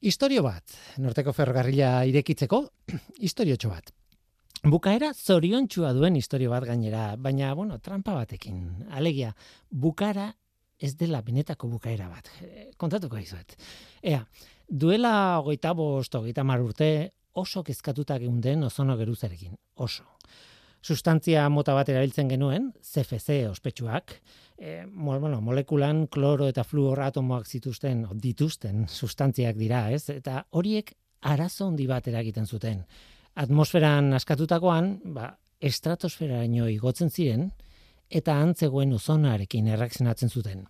Istorio bat, Norteko ferrokarrila irekitzeko, istoriotxo bat. Bukaera zoriontsua duen istorio bat gainera, baina, trampa batekin. Alegia, bukaera ez dela benetako bukaera bat. Kontatuko dizuet. Duela 25-30 urte oso kezkatuta geunden ozono geruzarekin. Oso. Sustantzia mota bat erabiltzen genuen, CFC ospetsuak, molekulan kloro eta fluor atomoak dituzten sustantziak dira, ez? Eta horiek arazo handi bat eragiten zuten. Atmosferan askatutakoan, estratosferaino igotzen ziren, eta antzegoen ozonoarekin erreakzionatzen zuten.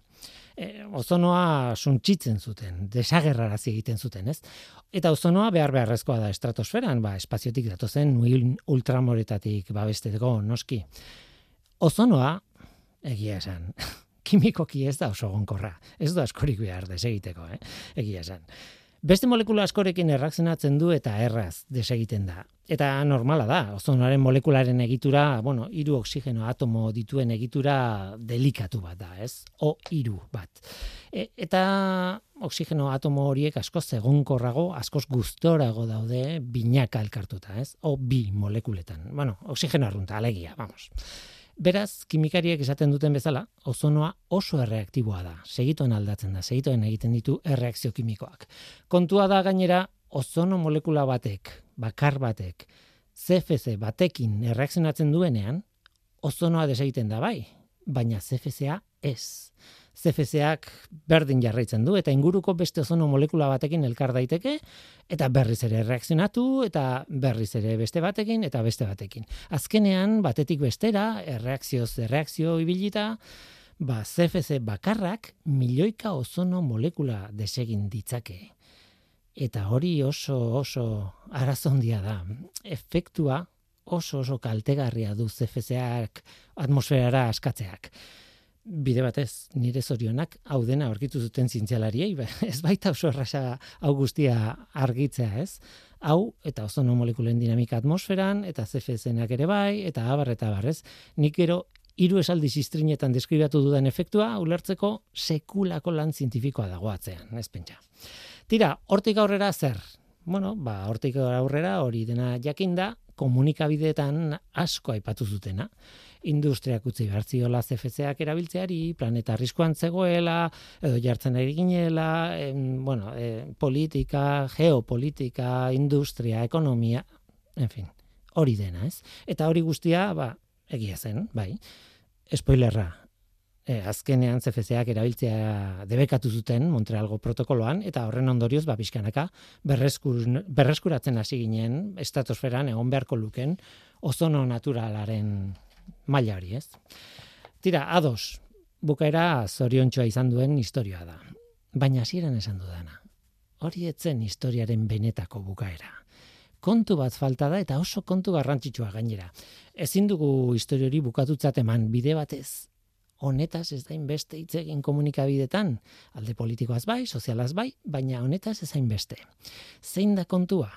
Ozonoa suntsitzen zuten, desagerrarazi egiten zuten, ez? Eta ozonoa beharrezkoa da estratosferan, espaziotik datozen ultramoretatik babesteko noski. Ozonoa, egia esan, kimikoki ez da oso egonkorra, ez da askorik behar desegiteko, egia esan. Beste molekula askorekin erreakzionatzen du eta erraz desegiten da. Eta normala da, ozonoaren molekularen egitura, 3 oxigeno atomo dituen egitura delikatu bat da, ez? O3 bat. Eta oxigeno atomo horiek askoz egonkorrago, askoz gustorago daude binaka elkartuta, ez? O2 molekuletan. Oxigeno arrunta, alegia, vamos. Beraz, kimikariek esaten duten bezala, ozonoa oso erreaktiboa da. Segituen aldatzen da, segituen egiten ditu erreakzio kimikoak. Kontua da gainera, ozono molekula batek, bakar batek, CFC batekin erreakzionatzen duenean, ozonoa desegiten da bai, baina CFCa ez. CFCak berdin jarraitzen du, eta inguruko beste ozono molekula batekin elkar daiteke, eta berriz ere erreakzionatu, eta berriz ere beste batekin, eta beste batekin. Azkenean, batetik bestera, erreakzio ibilita, CFC bakarrak milioika ozono molekula desegin ditzake. Eta hori oso arazo handia da. Efektua oso kaltegarria du CFCak atmosferara askatzeak. Bide batez, nire zorionak hau dena aurkitu zuten zientzialariei, ez baita oso erraza hau guztia argitzea, ez? Hau eta ozono molekulen dinamika atmosferan, eta CFC-nak ere bai, eta abar, ez? Nik gero 3 esaldi ziztrinetan deskribatu dudan efektua, ulertzeko sekulako lan zientifikoa dago atzean, ez pentsa. Tira, hortik aurrera zer? Hortik aurrera hori dena jakinda, komunikabideetan asko aipatu zutena. Industriak utzi behar ziola CFC-ak erabiltzeari, planeta arriskuan zegoela, edo jartzen ari ginela, politika, geopolitika, industria, ekonomia, hori dena, ez? Eta hori guztia, egia zen, bai, spoilerra. Azkenean CFC-ak erabiltzea debekatu zuten Montrealgo protokoloan, eta horren ondorioz, pixkanaka, berreskuratzen hasi ginen, estratosferan egon beharko luken, ozono naturalaren maila hori, ez? Tira, ados, bukaera zoriontxoa izan duen istorioa da. Baina hasieran esan dudana. Hori etzen historiaren benetako bukaera. Kontu bat falta da eta oso kontu garrantzitsua gainera. Ezin dugu historiori bukatutzat eman bide batez. Honetaz ez da inbeste hitz egin komunikabidetan, alde politikoaz bai, sozialaz bai, baina honetaz ez hainbeste. Zein da kontua?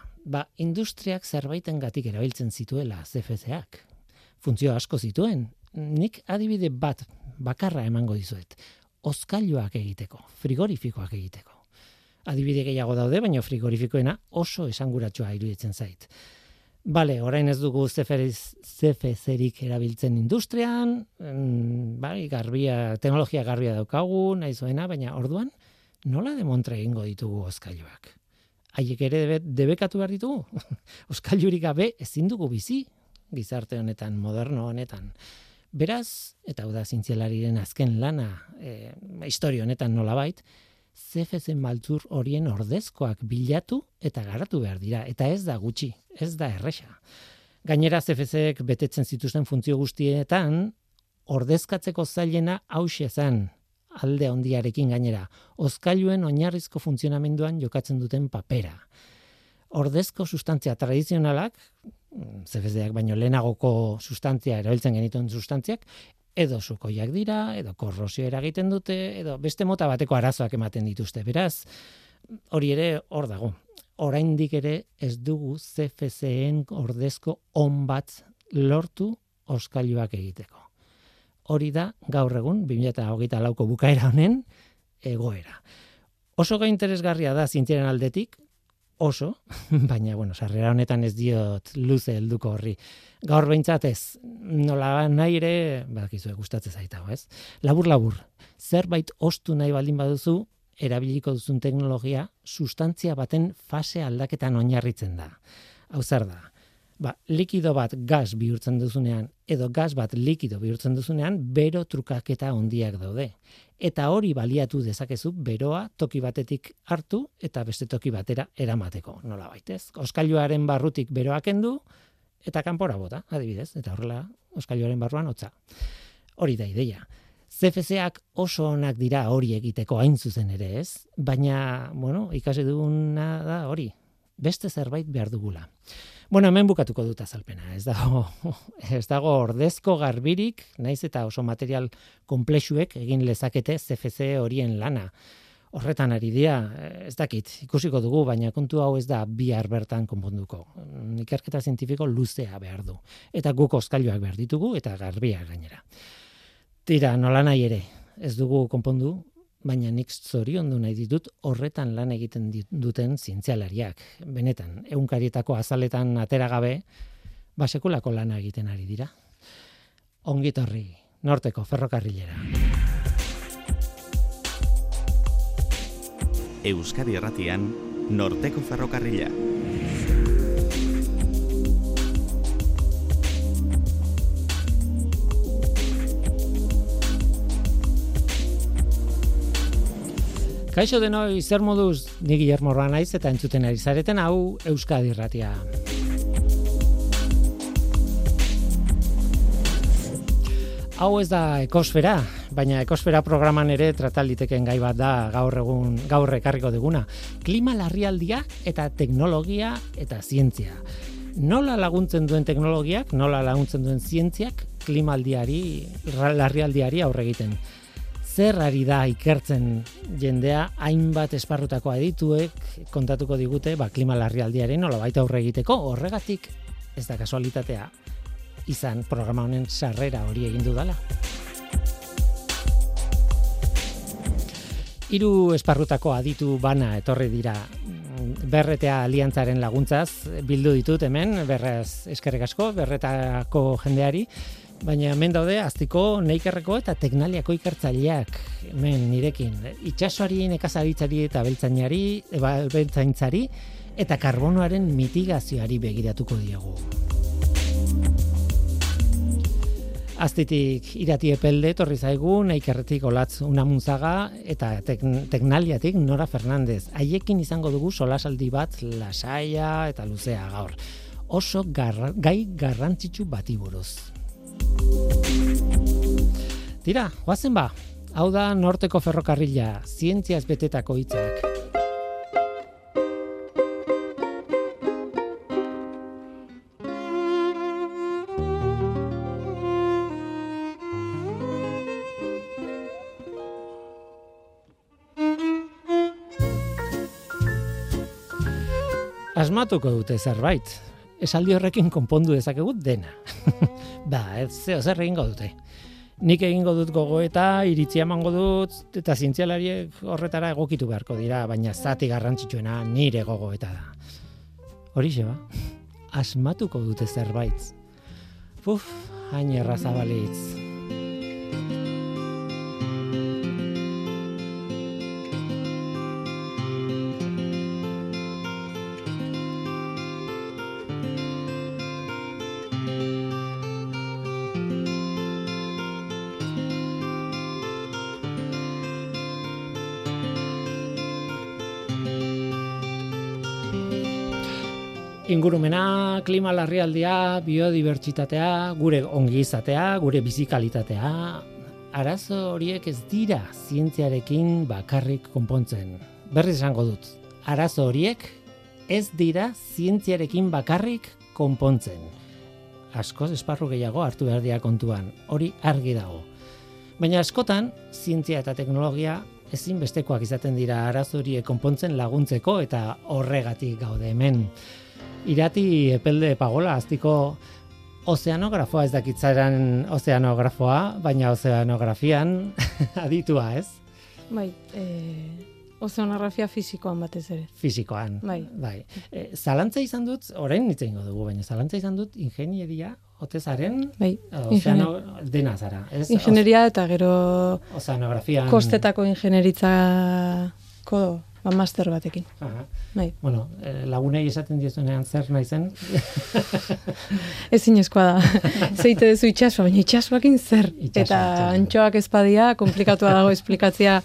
Industriak zerbaitengatik erabiltzen zituela CFC-ak. Funtzio asko zituen. Nik adibide bat bakarra emango dizuet. Hozkailuak egiteko, frigorifikoak egiteko. Adibide gehiago daude, baina frigorifikoena oso esanguratsua iruditzen zait. Bale, orain ez dugu CFC-rik erabiltzen industrian, teknologia garbia daukagu, nahi zuena, baina orduan, nola demontre egingo ditugu hozkailuak? Haiek ere debekatu behar ditugu? Hozkailurik gabe ezin dugu bizi, gizarte honetan, moderno honetan. Beraz, eta hau da zientzialariren azken lana, historia honetan nolabait, CFC maltzur horien ordezkoak bilatu eta garatu behar dira. Eta ez da gutxi, ez da erresa. Gainera CFC-ek betetzen zituzten funtzio guztietan, ordezkatzeko zailena hauxe zen, alde handiarekin gainera, hozkailuen oinarrizko funtzionamenduan jokatzen duten papera. Ordezko sustantzia tradizionalak, CFC-ak baino lehenagoko sustantzia erabiltzen genituen sustantziak, edo sukoiak dira, edo korrosio eragiten dute, edo beste mota bateko arazoak ematen dituzte. Beraz, hori ere hor dago. Oraindik ere ez dugu CFC-en ordezko on bat lortu hozkailuak egiteko. Hori da gaur egun 2024ko bukaera honen egoera. Oso interesgarria da zientziaren aldetik, oso, baina, sarrera honetan ez diot luze helduko horri. Gaur behintzat ez, nola nahi ere, badakizue gustatzen zaita, ez? Labur, zerbait ostu nahi baldin baduzu, erabiliko duzun teknologia, sustantzia baten fase aldaketan oinarritzen da. Hau zer da? Likido bat gas bihurtzen duzunean, edo gas bat likido bihurtzen duzunean, bero trukaketa handiak daude. Eta hori baliatu dezakezu beroa toki batetik hartu eta beste toki batera eramateko, nola baitez. Oskailuaren barrutik beroa kendu eta kanpora bota, adibidez, eta horrela oskailuaren barruan hotza. Hori da ideia. CFC-ak oso onak dira hori egiteko hain zuzen ere, ez? Baina, ikasi duguna da hori. Beste zerbait behar dugula. Hemen bukatuko dut azalpena. Ez dago ordezko garbirik, naiz eta oso material konplexuek egin lezakete CFC horien lana. Horretan ari dira, ez dakit, ikusiko dugu, baina kontu hau ez da bihar bertan konponduko. Ikerketa zientifiko luzea behar du. Eta guk oskailuak behar ditugu eta garbiak gainera. Tira, nola nahi ere, ez dugu konpondu, baina nik zoriondu nahi ditut horretan lan egiten duten zientzialariak. Benetan, egunkarietako azaletan atera gabe, sekulako lana egiten ari dira. Ongitorri, Norteko ferrokarrilera. Euskadi Irratian, Norteko ferrokarrila. Kaixo denoi, zer moduz, ni Guillermo Roa naiz eta entzuten ari zareten hau Euskadi Irratia. Hau ez da ekosfera, baina ekosfera programan ere trataliteken gai bat da gaur ekarriko duguna. Klima larrialdia eta teknologia eta zientzia. Nola laguntzen duen teknologiak, nola laguntzen duen zientziak klima larrialdiari aurre egiten. Zer ari da ikertzen jendea, hainbat esparrutako adituek kontatuko digute klima larrialdiaren nolabait aurre egiteko, horregatik ez da kasualitatea izan programa honen sarrera hori egin dudala. 3 esparrutako aditu bana etorri dira. Berretea aliantzaren laguntzaz bildu ditut hemen, berraz eskerrik asko, berretako jendeari. Baina hemen daude Aztiko, Neikerreko eta Teknaliako ikertzaileak hemen nirekin. Itsasoari, nekazaritzari eta abeltzaintzari eta karbonoaren mitigazioari begiratuko diegu. Aztitik Irati Epelde etorri zaigu, Neikerretik Olatz Unamunzaga eta Teknaliatik Nora Fernandez. Haiekin izango dugu solasaldi bat lasaia eta luzea gaur. Oso gai garrantzitsu bati buruz. Tira, goazen ba, hau da Norteko ferrokarrila, zientziaz betetako hitzak. Asmatuko dute zerbait. Esaldi horrekin konpondu dezakegut dena. Zer egingo dute. Nik egingo dut gogoeta, iritzia emango dut, eta zientzialariek horretara egokitu beharko dira, baina zati garrantzitsuena nire gogoeta da. Horixe ba, asmatuko dute zerbait. Hain erraza balitz. Ingurumena, klima larrialdia, biodibertsitatea, gure ongizatea, gure bizikalitatea, arazo horiek ez dira zientziarekin bakarrik konpontzen. Berriz esango dut, arazo horiek ez dira zientziarekin bakarrik konpontzen. Askoz esparru gehiago hartu behar dira kontuan, hori argi dago. Baina askotan, zientzia eta teknologia ezinbestekoak izaten dira arazo horiek konpontzen laguntzeko eta horregatik gaude hemen. Irati Epelde Pagola, Aztiko ozeanografoa, ez dakitzaren ozeanografoa, baina ozeanografian aditua, ez? Bai, Ozeanografia fisikoan batez ere. Fisikoan. Bai. Zalantza izan dut, orain hitz egingo dugu, baina zalantza izan dut ingenieria otezaren dena zara. Ingenieria eta gero ozeanografian kostetako ingenieritzako master batekin. Bai. Bueno, lagunei esaten diezuenean zer naizen. Ezinezkoa da. Zeite duzu itxasua, baina itxasuakin zer. Eta antxoak ezpadia, komplikatua dago esplikatzea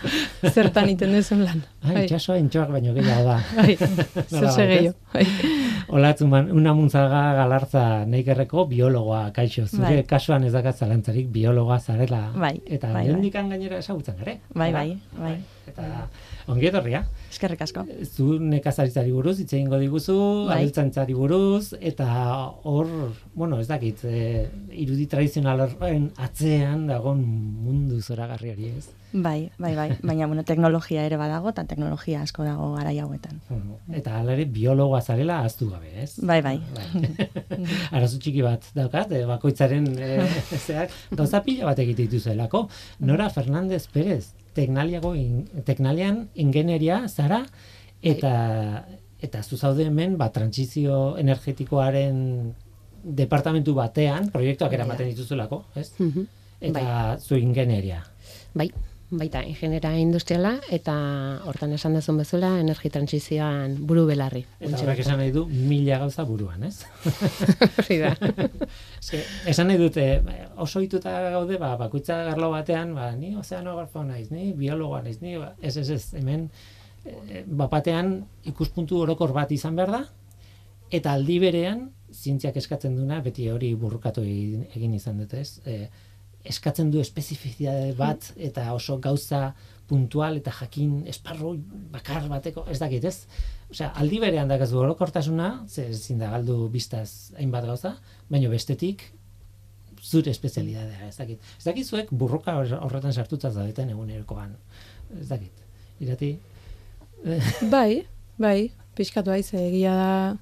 zertan iten duzun lan. Itxasua antxoak baino gehiago da. Bai, zose gehiago. Olatzuman, una muntzaga galartza neikerreko biologoa, kaixo. Zure kasuan ez dakat zalantzarik biologoa zarela. Eta nendikan gainera esagutzen gare. Bai. Eta ongi etorria. Eskerrik asko. Zu nekazaritzari buruz, hitz egingo diguzu, abeltzaintzari buruz, eta hor, ez dakit, irudi tradizional horren atzean dagoen mundu zoragarri hori ez. Bai, baina teknologia ere badago, eta teknologia asko dago garai hauetan. Eta hala ere biologoa zarela ahaztu gabe, ez? Bai. Arazo txiki bat daukat, bakoitzaren gauza pila bat egite dituzuelako. Nora Fernández Pérez, teknalian ingenieria zara, eta zu zaude hemen trantsizio energetikoaren departamentu batean, proiektuak eramaten dituzulako, ez? Eta zu ingenieria. Baita, ingeniera industriala, eta hortan esan dezun bezala, energi trantsizioan buru belarri. Eta horrek esan nahi du 1000 gauza buruan, ez? Hori da. Esan nahi dute, oso hituta gaude, bakoitza garlo batean, ni ozeanografo naiz, ni biologoa naiz, ni ez, hemen bapatean ikuspuntu orokor bat izan behar da, eta aldi berean, zientziak eskatzen duna, beti hori burrukatu egin izan dute, ez? Eskatzen du espezifizitate bat eta oso gauza puntual eta jakin esparru bakar bateko, ez dakit, ez? Osea, aldi berean dakazu orokortasuna, ezin da galdu biztaz hainbat gauza, baina bestetik zure espezialitatea, ez dakit. Ez dakit zuek burruka horretan sartuta zaudeten egunerokoan. Ez dakit. Irati? Bai, pixkatu haiz, egia da,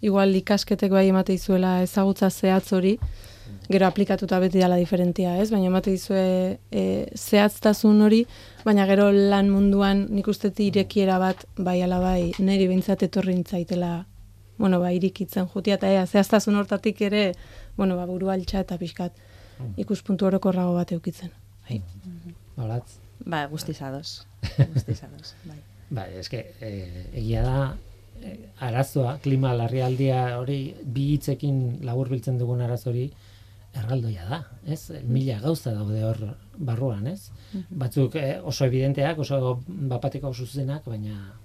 igual ikasketek bai emate izuela ezagutza zehatz hori, gero aplikatuta beti dela diferentia, ez? Baina emate dizue zehatztasun hori, baina gero lan munduan nik uste irekiera bat, bai ala bai, niri behintzat etorri nintzaitela, irikitzen jutia, eta zehaztasun hortatik ere, buru altxa eta pixkat ikuspuntu orokorrago bat eukitzen. Holatz? Guztizadoz. Bai, eske, egia da, arazoa, klima larrialdia hori, bi hitzekin laburbiltzen dugun arazo hori, erraldoia da, ez? 1000 gauza daude hor barruan, ez? Batzuk oso evidenteak, oso bapateko zuzenak, baina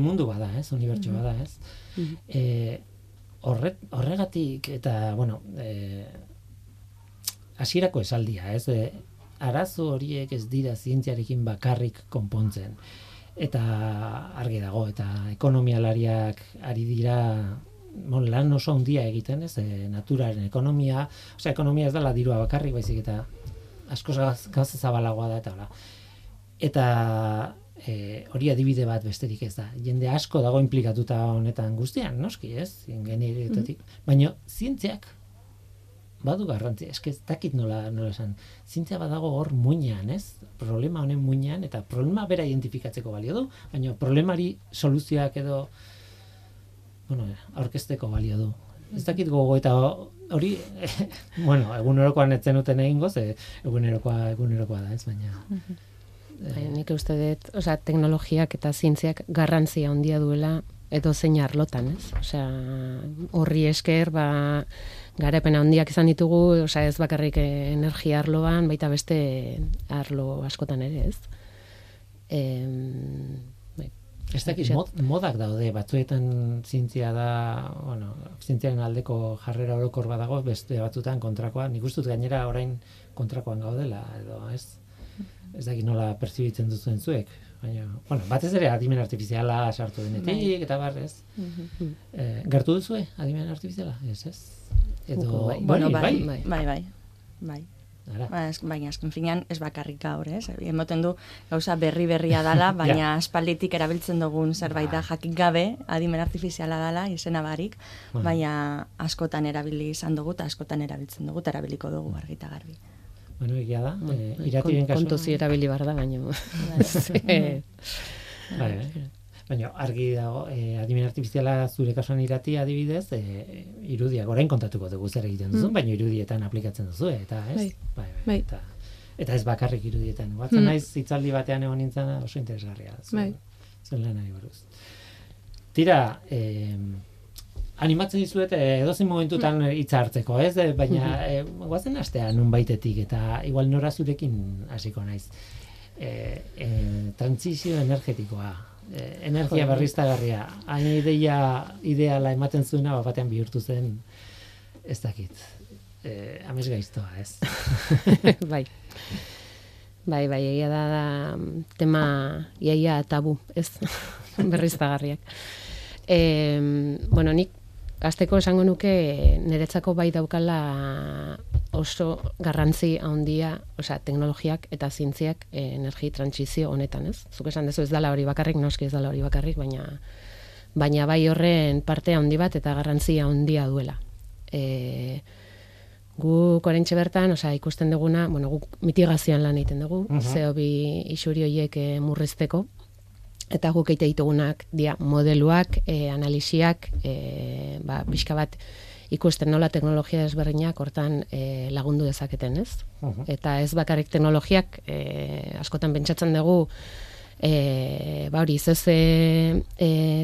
mundu bada, ez? Unibertso bada, ez? Horregatik, eta, hasierako esaldia, ez? Arazo horiek ez dira zientziarekin bakarrik konpontzen. Eta argi dago, eta ekonomialariak ari dira lan oso handia egiten, ez, naturaren ekonomia, ekonomia ez dela dirua bakarrik, baizik eta askoz gauza zabalagoa da, eta hola. Eta hori adibide bat besterik ez da. Jende asko dago implikatuta honetan guztian, noski, ez, ingenierietatik. Baina zientziak badu garrantzia, eske ez dakit nola esan. Zientzia badago hor muinean, ez? Problema honen muinean, eta problema bera identifikatzeko balio du, baina problemari soluzioak edo aurkezteko balio du. Ez dakit gogo, eta hori, egunerokoan etzen uten egingo, egunerokoa da, ez, baina... Nik uste dut, teknologiak eta zientziak garrantzia handia duela edo zein arlotan, ez? Horri esker, garapena handiak izan ditugu, ez bakarrik energia arloan, baita beste arlo askotan ere, ez? Ez dakit, modak daude, batzuetan zientzia da, zientziaren aldeko jarrera orokor badago, beste batzuetan kontrakoa, nik uste dut gainera orain kontrakoan gaudela, edo, ez? Ez dakit nola perzibitzen duzuen zuek, baina, batez ere adimen artifiziala sartu denetik, eta bar, ez? Gertu duzue adimen artifiziala, ez? Edo, bai. Baina azken finean ez bakarrik gaur, ez? Emoten du gauza berria dala, baina aspalditik erabiltzen dugun zerbait da jakin gabe, adimen artifiziala dala, izena barik, baina askotan erabili izan dugu, eta askotan erabiltzen dugu, eta erabiliko dugu argi eta garbi. Egia da, iratiren kasuan... Kontuzi erabili bar da, baina... Baina argi dago, adimen artifiziala zure kasuan Irati adibidez, irudiak orain kontatuko dugu zer egiten duzu, baina irudietan aplikatzen duzu, eta ez? Bai. Eta ez bakarrik irudietan. Batzen naiz hitzaldi batean egon nintzen oso interesgarria. Zuen lanari buruz. Tira, animatzen dizuet edozein momentutan hitza hartzeko, ez? Baina goazen astea nunbaitetik eta igual nora zurekin hasiko naiz. Transizio energetikoa, energia berriztagarria, hain ideala ematen zuena batean bihurtu zen, ez dakit. Amesgaiztoa, ez? Bai, egia da tema iaia tabu, ez? Berriztagarriak. Nik hasteko esango nuke niretzako bai daukala oso garrantzi handia, teknologiak eta zientziak energi trantsizio honetan, ez? Zuk esan duzu ez dela hori bakarrik, noski ez dela hori bakarrik, baina bai horren parte handi bat eta garrantzia handia duela. Guk oraintxe bertan, ikusten duguna, guk mitigazioan lan egiten dugu, CO2 isuri horiek murrizteko, eta guk egite ditugunak dia modeluak, analisiak, pixka bat ikusten nola teknologia desberdinak hortan lagundu dezaketen, ez? Eta ez bakarrik teknologiak, askotan pentsatzen dugu, hori,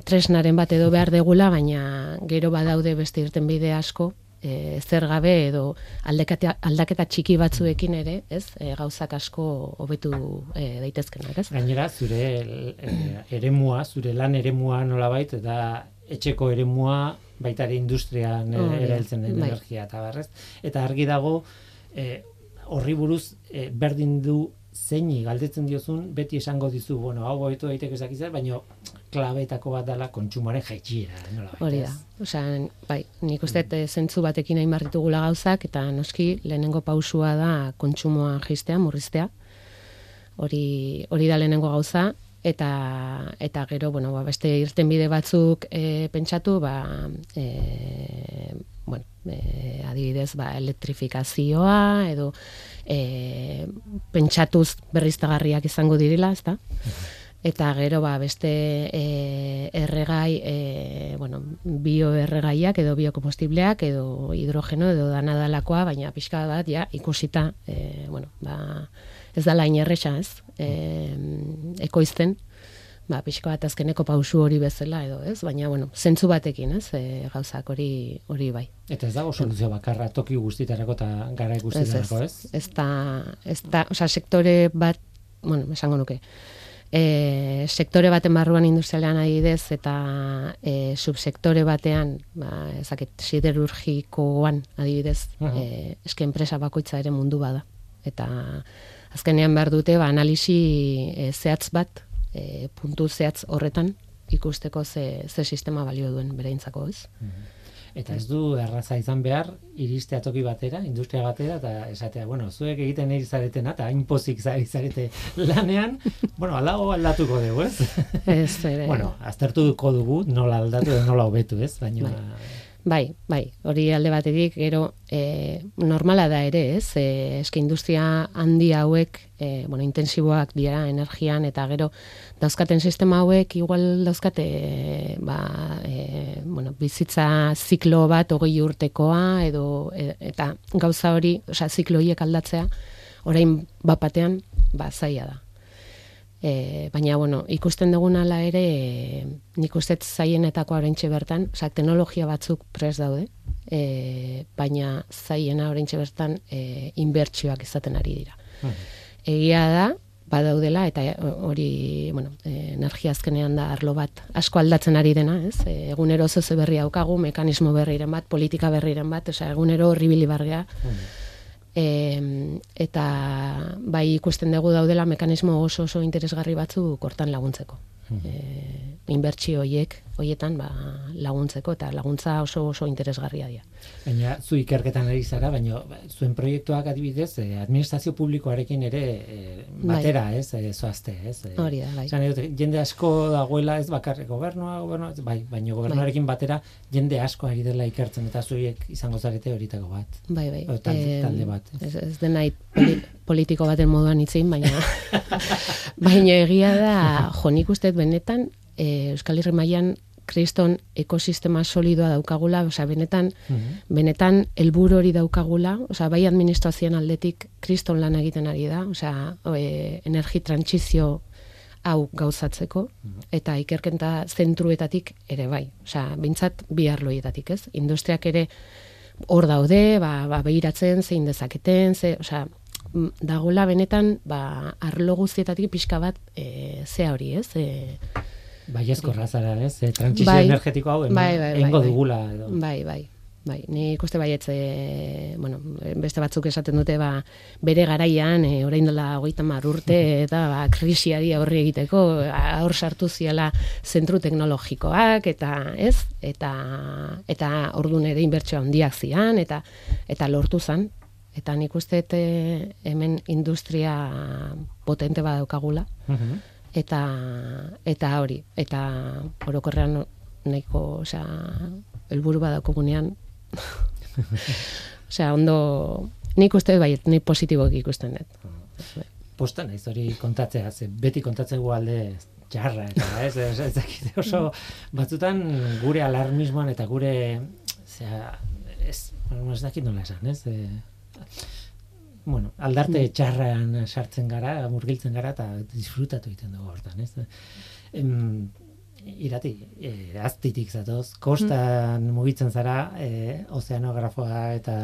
tresnaren bat edo behar degula, baina gero badaude beste irtenbide asko, zer gabe edo aldaketa txiki batzuekin ere, ez? Gauzak asko hobetu daitezkenak, ez? Gainera, zure eremua, zure lan eremua nolabait, eta etxeko eremua baita ere industrian erabiltzen den energia eta barrez. Eta argi dago, horri buruz berdin du zeini galdetzen diozun, beti esango dizu, hau hobetu daiteke ezakizer, baina klabeetako bat dela kontsumoaren jaitsiera, nolabait. Hori da. Bai, nik uste zentzu batekin hain ditugula gauzak, eta noski lehenengo pausua da kontsumoa jaistea, murriztea. Hori da lehenengo gauza, eta gero, beste irtenbide batzuk pentsatu, adibidez, elektrifikazioa, edo pentsatuz berriztagarriak izango direla, ezta? Eta gero beste erregai, bioerregaiak edo biokompostibleak edo hidrogeno edo danadalakoa, baina pixka bat ikusita, ez da lain erresa, ez? Ekoizten, pixka bat azkeneko pausu hori bezala edo, ez? Baina, zentzu batekin, ez? Gauzak hori bai. Eta ez dago soluzio bakarra toki guztitarako eta gara guztitarako, ez? Ez da, sektore bat, esango nuke, sektore baten barruan industrialean adibidez eta subsektore batean siderurgikoan adibidez eske enpresa bakoitza ere mundu bada eta azkenean behar dute analisi zehatz bat puntu zehatz horretan ikusteko ze sistema balio duen bereintzako, ez? Eta ez du erraza izan behar, iristea toki batera, industria batera, eta esatea, zuek egiten ari zaretena, eta hain pozik zarete lanean, alago aldatuko dugu, ez? Ez, ere. Aztertuko dugu, nola aldatu edo nola hobetu, ez? Baina... Bai, hori alde batetik, gero normala da ere, ez? Eske industria handi hauek, intensiboak dira energian, eta gero dauzkaten sistema hauek, igual dauzkate, bizitza ziklo bat 20 urtekoa, eta gauza hori, ziklo horiek aldatzea, orain batean, zaila da. Baina, ikusten duguna ala ere, nik uste zaienetako oraintxe bertan, teknologia batzuk prest daude, baina zaiena oraintxe bertan inbertsioak izaten ari dira. Egia da, badaudela, eta hori, energia azkenean da arlo bat asko aldatzen ari dena, ez? Egunero zoze berri daukagu, mekanismo berriren bat, politika berriren bat, egunero horribili bargea, eta bai ikusten dugu daudela mekanismo oso interesgarri batzu hortan laguntzeko. Inbertsio horietan laguntzeko, eta laguntza oso interesgarria dira. Baina zu ikerketan ari zara, baina zuen proiektuak adibidez administrazio publikoarekin ere batera, ez? Zoazte, ez? Hori da, bai. Jende asko dagoela, ez bakarrik gobernua, baina gobernuarekin batera jende asko ari dela ikertzen, eta zuiek izango zarete horitako bat. Bai. Talde bat. Ez denait politiko baten moduan itzein, baina egia da, nik uste benetan, Euskal Herri mailan kriston ekosistema solidoa daukagula, benetan helburu hori daukagula, bai administrazioan aldetik kriston lan egiten ari da, energi trantsizio hau gauzatzeko, eta ikerketa zentruetatik ere bai, bintzat bi arloietatik, ez? Industriak ere hor daude, behiratzen, zein dezaketen, dagoela benetan, arlo guztietatik pixka bat zea hori, ez? Baiezkorra zara, ez? Trantsizio energetiko hau egingo dugula. Bai, ni ikuste baietz, beste batzuk esaten dute, bere garaian, orain dela 30 urte, eta krisiari aurre egiteko, hor sartu ziala zentru teknologikoak, eta ez, eta orduan ere inbertsio handiak zian, eta lortu zan, eta nik uste hemen industria potente badaukagula, eta hori, eta orokorrean nahiko, helburu badaukagunean, ondo, nik uste baiet, nik positiboak ikusten dut. Posta naiz hori kontatzea, beti kontatzegu alde txarra, eta ez dakite oso, batzutan gure alarmismoan eta gure, ez dakit nola esan, ez? Aldarte txarrean sartzen gara, murgiltzen gara, eta disfrutatu egiten dugu hortan, ez? Irati, aztitik zatoz, kostan mugitzen zara, ozeanografoa eta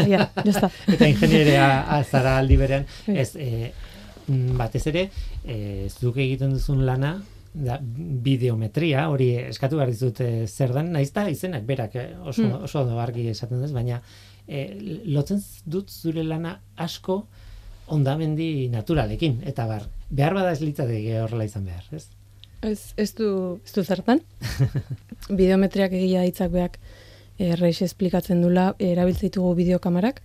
eta ingenierea zara aldi berean, batez ere, zuk egiten duzun lana, bideometria, hori eskatu behar dizut zer den, nahiz da izenak berak oso argi esaten duz, baina lotzen dut zure lana asko ondamendi naturalekin, eta behar bada ez litzateke horrela izan behar, ez? Ez du zertan. Bideometriak egia hitzak beak erreix esplikatzen dula, erabiltzen ditugu bideokamarak,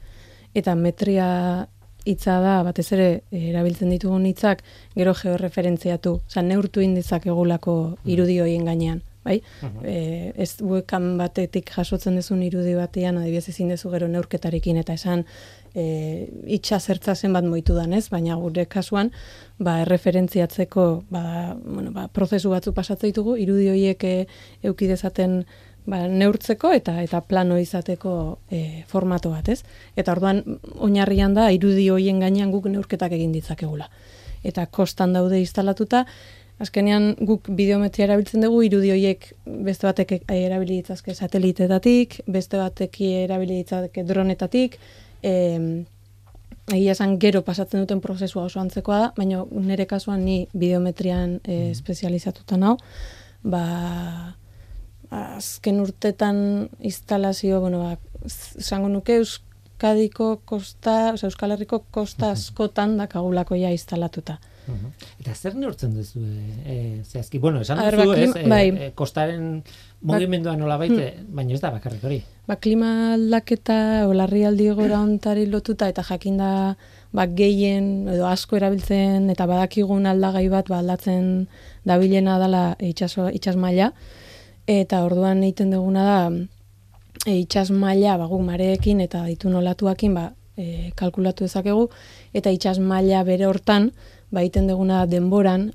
eta metria hitza da, batez ere erabiltzen ditugun hitzak, gero georreferentziatu, neurtu indizak egulako irudi horien gainean. Bai? Ez webcam batetik jasotzen dezun irudi batean, adibidez ezin dezu gero neurketarekin, eta esan itxasertza zenbat moitu dan, ez? Baina gure kasuan, erreferentziatzeko prozesu batzu pasatzen ditugu, irudi horiek eduki dezaten neurtzeko eta plano izateko formato bat, ez? Eta orduan oinarrian da irudi horien gainean guk neurketak egin ditzakegula. Eta kostan daude instalatuta, azkenean guk bideometria erabiltzen dugu, irudi horiek beste batek erabili ditzazke sateliteetatik, beste batek erabili ditzazke dronetatik, egia esan gero pasatzen duten prozesua oso antzekoa da, baina nire kasuan ni bideometrian espezializatuta nau, azken urtetan instalazio, esango nuke Euskadiko kosta, Euskal Herriko kosta askotan dakagulako ja instalatuta. Eta zer neurtzen duzu? Zehazki, esan duzu, kostaren mugimendua nola baite, baina ez da bakarrik hori. Klima aldaketa, larrialdi egoera ontari lotuta, eta jakinda gehien edo asko erabiltzen, eta badakigun aldagai bat aldatzen dabilena dela itsas maila, eta orduan egiten duguna da, itsas maila guk mareekin eta ditun olatuakin kalkulatu dezakegu, eta itsas maila bere hortan, egiten duguna denboran,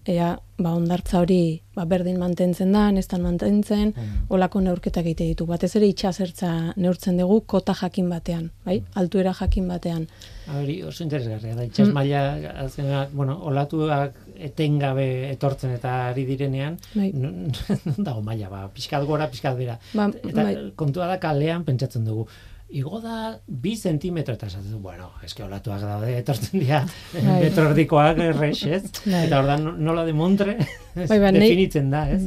ondartza hori berdin mantentzen da, nestan mantentzen, olako neurketak egite ditu. Batez ere itxasertza neurtzen dugu kota jakin batean, altuera jakin batean. Hori oso interesgarria da, itxas maila, olatuak etengabe etortzen eta ari direnean, non dago maila, pixkat gora, pixkat bera. Eta kontua da kalean pentsatzen dugu. Igo da 2 zentimetro eta esatzen, eske olatuak daude, etortzen dira metrordikoak errex, ez? Eta ordan nola de montre definitzen da, ez?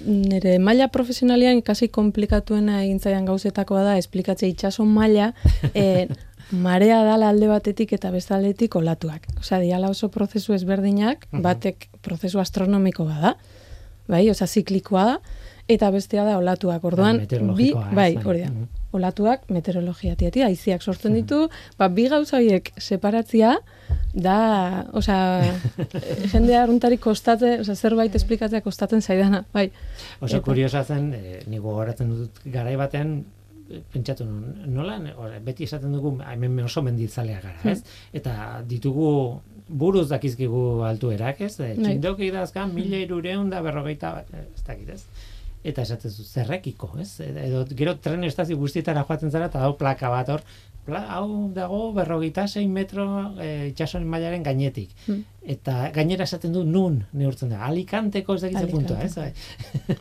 Nire maila profesionalian ikasi komplikatuena egintzaian gauzetakoa da, esplikatzea itxaso maila, marea dala alde batetik eta beste aldetik olatuak. Diala oso prozesu ezberdinak, batek prozesu astronomiko bada, ziklikoa da, eta bestea da olatuak. Orduan, hori da. Olatuak meteorologia tiatia, haiziak sortzen ditu, bi gauza horiek separatzia da, jendea arruntari kostatzen, zerbait esplikatzea kostatzen zaidana, bai. Oso kuriosa zen, nigo gogoratzen dut garai batean, pentsatu nola, beti esaten dugu, hemen oso menditzalea gara, ez? Eta ditugu buruz dakizkigu altuerak, ez? Txindoki dazkan 1340 ez dakit, ez? Eta esatzen zu, zerrekiko, ez? Edo gero tren estazio guztietara joaten zara, eta hau plaka bat hor, hau dago 46 metro itxasoren mailaren gainetik. Eta gainera esaten du nun neurtzen da. Alicanteko ez dakitzen puntua, ez?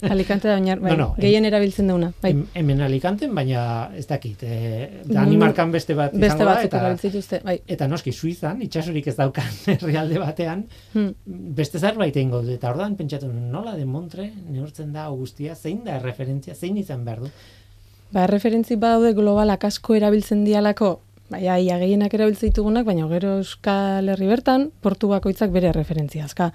Alicante da gehien erabiltzen duguna. Hemen Alicanten, baina ez dakit. Danimarkan beste bat izango da. Beste erabiltzituzte, bai. Eta noski, Suizan, itxasorik ez daukan herrialde batean, beste zerbait egingo du. Eta ordan pentsatu, nola de Montre neurtzen da guztia, zein da referentzia, zein izan behar du? Referentzi badaude globalak asko erabiltzen dialako, ia gehienak erabiltzen ditugunak, baina gero Euskal Herri bertan, portu bakoitzak bere referentzia azka.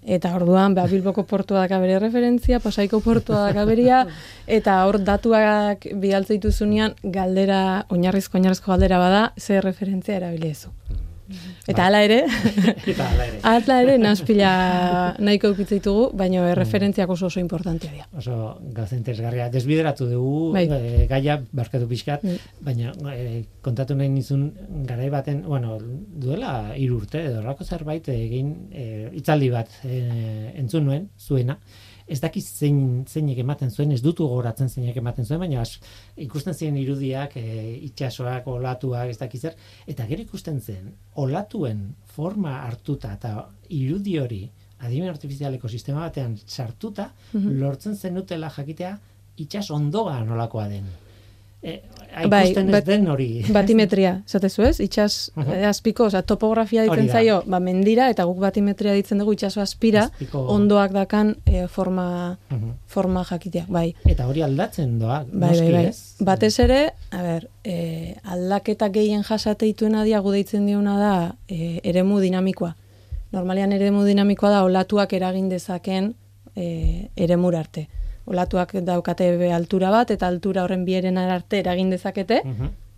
Eta orduan, Bilboko portua daka bere referentzia, Pasaiko portua daka berea, eta hor datuak bidaltzen dituzunean, galdera, oinarrizko galdera bada, ze referentzia erabilezu. Eta hala ere, naspila nahiko eukitza ditugu, baina referentziak oso importantea dira. Oso gauza interesgarria. Desbideratu dugu, gaia barkatu pixkat, baina kontatu nahi nizun garai baten, duela 3 urte, edo horrako zerbait egin hitzaldi bat entzun nuen, zuena, ez dakiz zeinek ematen zuen, ez dutu gogoratzen zeinek ematen zuen, baina ikusten ziren irudiak, itsasoak, olatuak, ez dakiz zer, eta gero ikusten zen, olatuen forma hartuta eta irudi hori adimen artifizialeko sistema batean sartuta, lortzen zenutela jakitea itsas ondoa nolakoa den. Ikusten ez den hori. Batimetria, zatezu ez? Itsas azpiko, topografia ditzen zaio, mendira, eta guk batimetria ditzen dugu itsaso azpira, ondoak dakan forma jakitea, bai. Eta hori aldatzen doa, noski ez? Batez ere, aldaketa gehien jasateituena diagu deitzen diona da eremu dinamikoa. Normalean eremu dinamikoa da olatuak eragin dezaken eremur arte. Olatuak daukate altura bat, eta altura horren bieren arte eragin dezakete,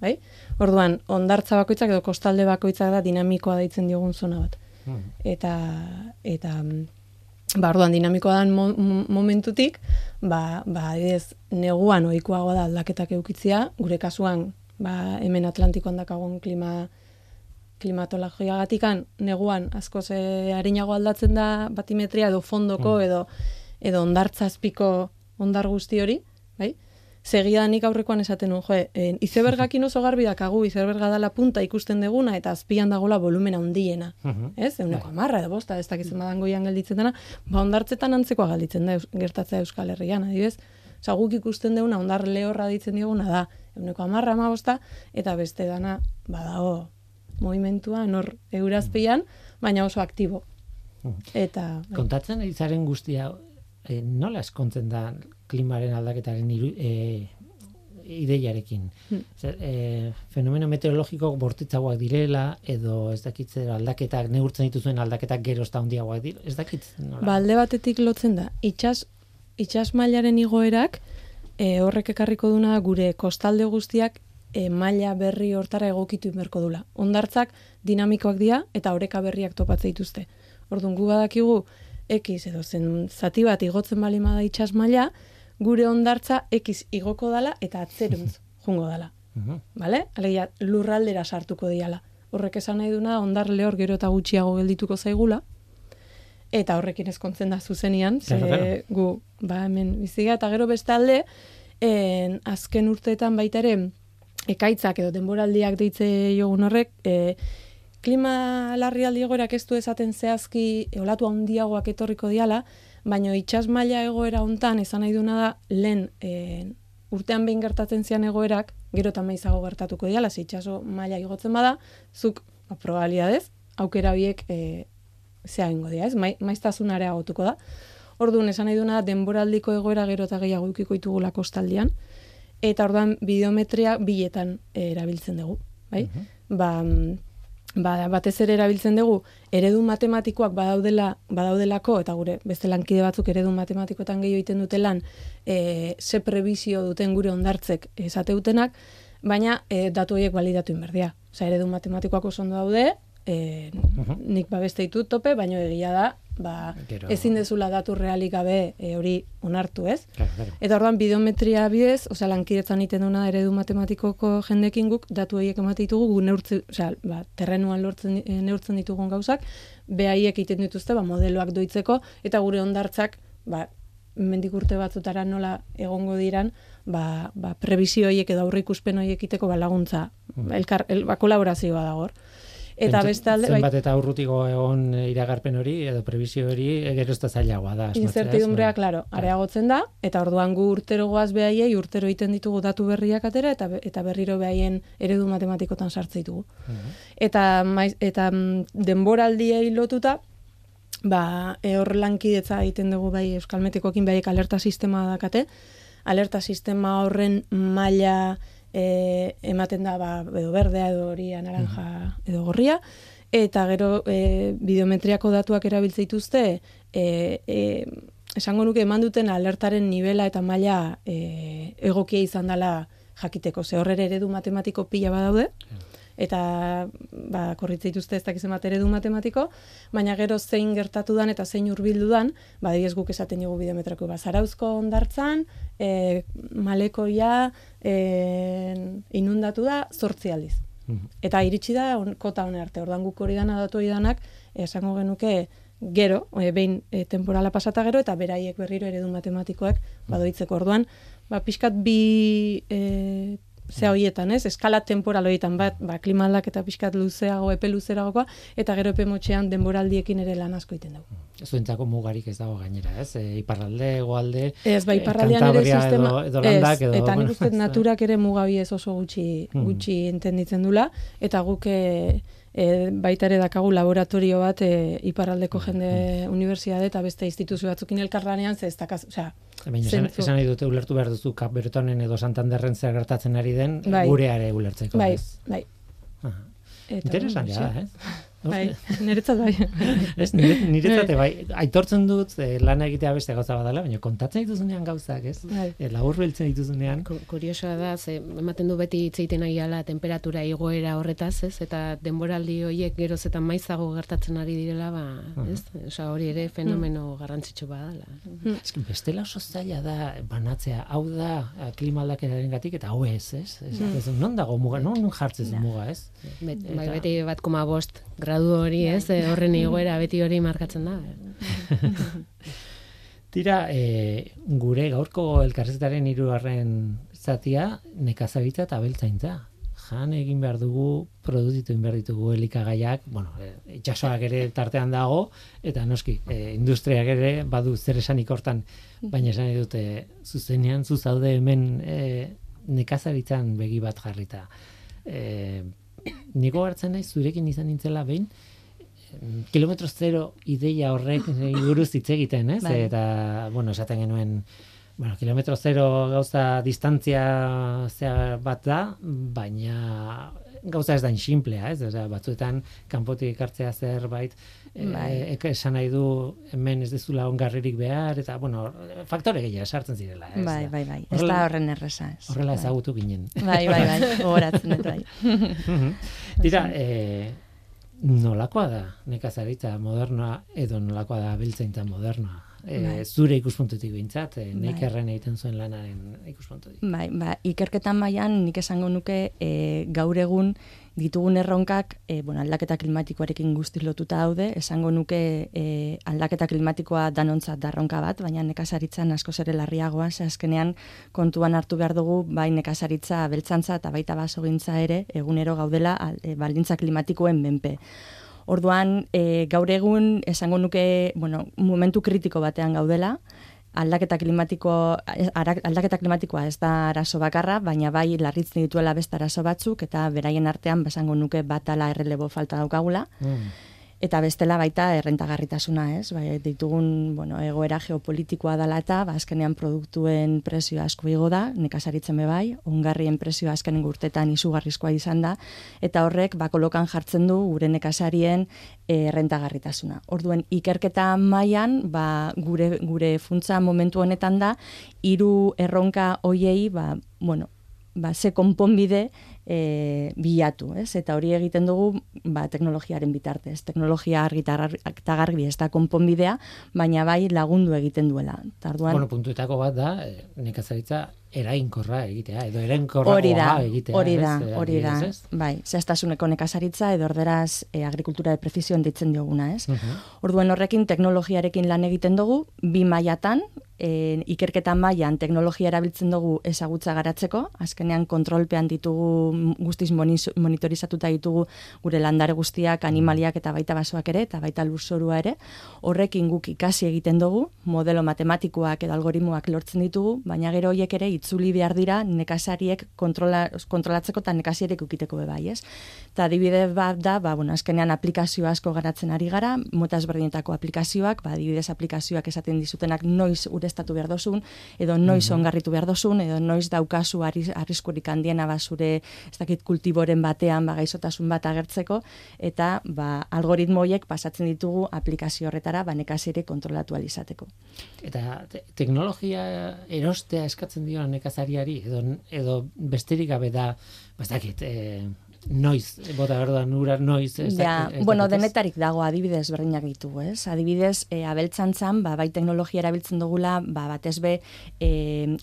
bai? Orduan, hondartza bakoitzak edo kostalde bakoitzak da dinamikoa deitzen diogun zona bat. Eta orduan, dinamikoa dan momentutik, adibidez, neguan ohikoagoa da aldaketak eukitzia, gure kasuan, hemen Atlantikoan dakagun klimatologiagatikan, neguan askoz arinago aldatzen da batimetria edo fondoko edo hondartza azpiko ondar guzti hori, bai? Segidanik aurrekoan esaten nuen, izebergakin oso garbi dakagu, izeberga dala punta ikusten deguna, eta azpian dagoela volumena handiena. Ez? 110 edo 5, ez dakitzen badan goian gelditzen dena, hondartzetan antzekoa gelditzen da gertatzea Euskal Herrian, adibidez. Guk ikusten deguna, hondar lehorra ditzen dioguna da, 110, 15, eta beste dana, badago movimentua, nor eurazpian, baina oso aktibo. Kontatzen izaren guztia, nola eskontzen da klimaren aldaketaren ideiarekin? Fenomeno meteorologiko bortitzagoak direla, edo ez dakitzen aldaketak, neurtzen dituzuen aldaketak gero ez da handiagoak dira, ez dakitzen? Alde batetik lotzen da, itsas mailaren igoerak, horrek ekarriko duna gure kostalde guztiak maila berri hortara egokitu inberko dula. Hondartzak dinamikoak dira eta oreka berriak topatzen dituzte. Orduan, gu badakigu X edo zen zati bat igotzen bali da itsas maila, gure hondartza X igoko dala eta atzeruntz jungo dala. Vale? Alegia, lurraldera sartuko diala. Horrek esan nahi duna, hondar lehor gero eta gutxiago geldituko zaigula, eta horrekin ezkontzen da zuzenian, gu, hemen biziga, eta gero bestalde, azken urteetan baita ere, ekaitzak edo denboraldiak deitze jogun horrek, klima larrialdi egoerak ez du esaten zehazki olatu handiagoak etorriko diala, baina itsas maila egoera hontan esan nahi duna da lehen urtean behin gertatzen zian egoerak, gero eta maizago gertatuko diala, ze itsaso maila igotzen bada, zuk probabilidadez aukera biek zea egingo dira, ez? Maiztasun areagotuko da. Orduan esan nahi duna denboraldiko egoera gero eta gehiago edukiko ditugula kostaldean, eta orduan bideometria biletan erabiltzen dugu, bai? Batez ere erabiltzen dugu eredu matematikoak badaudelako, eta gure beste lankide batzuk eredu matematikoetan gehiago egiten dutelan ze prebizio duten gure hondartzek esateutenak, baina datu horiek balidatu inberdia. Osea, eredu matematikoak oso ondo daude, nik beste ditut tope, baina egia da, ezin dezula datu realik gabe hori onartu, ez? Claro. Eta orduan bideometria bidez, lankidetzan egiten duna eredu matematikoko jendekin guk datu horiek ematen ditugu, gu terrenuan neurtzen ditugun gauzak, behaiek egiten dituzte modeloak doitzeko eta gure hondartzak mendik urte batzutara nola egongo diran, prebizio horiek edo aurreikuspen horiek egiteko laguntza, kolaborazioa dago hor. Eta bestalde zenbat eta urrutiko egon iragarpen hori edo prebizio hori gero ez da zailagoa da. Incertidumbrea, claro, areagotzen da, eta orduan gu urtero goaz behaiei, urtero egiten ditugu datu berriak atera, eta berriro behaien eredu matematikotan sartze ditugu. Eta denboraldiei lotuta, hor lankidetza egiten dugu Euskal Metekoekin behaiek alerta sistema dakate, alerta sistema horren maila ematen da edo berdea edo horia naranja edo gorria, eta gero bideometriako datuak erabiltze dituzte esango nuke eman duten alertaren nivela eta maila egokia izan dela jakiteko, ze horre eredu matematiko pila badaude, eta korritze dituzte ez dakizen bat eredu matematiko, baina gero zein gertatu dan eta zein hurbildu dan, adibidez guk esaten dugu bideometrako Zarauzko hondartzan, Malekoia inundatu da 8 aldiz. Eta iritsi da kota hone arte, ordan guk hori dana datu hori danak, esango genuke gero, behin temporala pasata gero, eta beraiek berriro eredu matematikoak badoitzeko orduan, pixkat bi zea horietan, ez? Eskala temporal horietan bat, klima aldaketa pixkat luzeago, epe luzeragokoa, eta gero epe motxean denboraldiekin ere lan asko egiten dugu. Zuentzako mugarik ez dago gainera, ez? Iparralde, hegoalde, ez, iparraldean ere sistema, edo landak, edo... Eta nik uste naturak ere mugabi ez oso gutxi entenditzen dula, eta guk baita ere dakagu laboratorio bat iparraldeko jende unibertsitate eta beste instituzio batzukin elkarlanean, ze ez dakaz, esan nahi dute ulertu behar duzu Kap Bretonen edo Santanderren zer gertatzen ari den, gureare ulertzeko. Bai. Interesantea da, ez? Niretzat bai. Niretzat bai, aitortzen dut lana egitea beste gauza badala, baina kontatzen dituzunean gauzak, ez? Laburbiltzen dituzunean. Kuriosoa da, ematen du beti hitzeiten aiala temperatura igoera horretaz, ez? Eta denboraldi horiek geroz eta maizago gertatzen ari direla, ez? Hori ere fenomeno garrantzitsu badala. Bestela oso zaila da banatzea, hau da klima aldaketarengatik eta hau ez? Non dago muga, non jartzen muga, ez? Beti 1,5 gradu hori, ez, horren igoera beti hori markatzen da. Tira, gure gaurko elkarrizketaren 3. zatia nekazaritza eta abeltzaintza. Jan egin behar dugu, produzitu egin behar ditugu elikagaiak, itxasoak ere tartean dago, eta noski, industriak ere badu zer esanik hortan, baina esan dute zuzenean, zuzaude hemen nekazaritzan begi bat jarrita. Niko hartzen naiz zurekin izan nintzela behin kilometro zero ideia horrek buruz hitz egiten, ez? Eta, esaten genuen kilometro zero gauza distantzia bat da, baina gauza ez da insimplea, ez? Batzuetan kanpotik ekartzea zerbait esan nahi du hemen ez dezula ongarririk behar, eta, faktore gehiago sartzen zirela, ez? Bai. Ez da horren erreza, ez. Horrela ezagutu ginen. Bai, gogoratzen dut, bai. Dira, nolakoa da nekazaritza modernoa edo nolakoa da abeltzaintza modernoa? Zure ikuspuntutik behintzat, Neikerren egiten zuen lanaren ikuspuntutik. Ikerketan mailan nik esango nuke gaur egun ditugun erronkak aldaketa klimatikoarekin guztiz lotuta daude, esango nuke aldaketa klimatikoa danontzat da erronka bat, baina nekazaritzan askoz ere larriagoa, ze azkenean kontuan hartu behar dugu bai nekazaritza, abeltzantza eta baita basogintza ere egunero gaudela baldintza klimatikoen menpe. Orduan, gaur egun esango nuke, momentu kritiko batean gaudela, aldaketa klimatikoa ez da arazo bakarra, baina bai larritzen dituela beste arazo batzuk, eta beraien artean esango nuke bat ala errelebo falta daukagula. Eta bestela baita errentagarritasuna, ez? Ditugun, egoera geopolitikoa dela eta azkenean produktuen prezioa asko igo da, nekazaritzen bai, ongarrien prezioa azkenen urtetan izugarrizkoa izan da, eta horrek kolokan jartzen du gure nekazarien errentagarritasuna. Orduen, ikerketa mailan, gure funtsa momentu honetan da, 3 erronka hoiei, ze konponbide bilatu, ez? Eta hori egiten dugu teknologiaren bitartez. Teknologia argi eta garbi ez da konponbidea, baina bai lagundu egiten duela. Bueno, puntuetako bat da, nekazaritza erainkorra egitea, edo erainkorragoa egitea. Hori da, bai, zehaztasuneko nekazaritza edo orderaz agrikultura de precisión deitzen dioguna, ez? Orduan horrekin teknologiarekin lan egiten dugu, 2 mailatan, ikerketa mailan teknologia erabiltzen dugu ezagutza garatzeko, azkenean kontrolpean ditugu, guztiz monitorizatuta ditugu gure landare guztiak, animaliak eta baita basoak ere, eta baita lurzorua ere, horrekin guk ikasi egiten dugu, modelo matematikoak edo algoritmoak lortzen ditugu, baina gero horiek ere itzuli behar dira nekazariek kontrolatzeko eta nekazariek ukiteko bebai, ez? Eta adibide bat da, azkenean aplikazio asko garatzen ari gara, mota ezberdinetako aplikazioak, adibidez aplikazioak esaten dizutenak noiz ureztatu behar dozun, edo noiz ongarritu behar dozun, edo noiz daukazu arriskurik handiena zure, ez dakit, kultiboren batean gaizotasun bat agertzeko, eta algoritmo horiek pasatzen ditugu aplikazio horretara nekazariek kontrolatu ahal izateko. Eta teknologia erostea eskatzen dio nekazariari, edo besterik gabe da, ez dakit, noiz, bota berduan ura noiz. Denetarik dago adibidez berdinak ditugu, ez? Adibidez, abeltzantzan, bai teknologia erabiltzen dugula, batez be,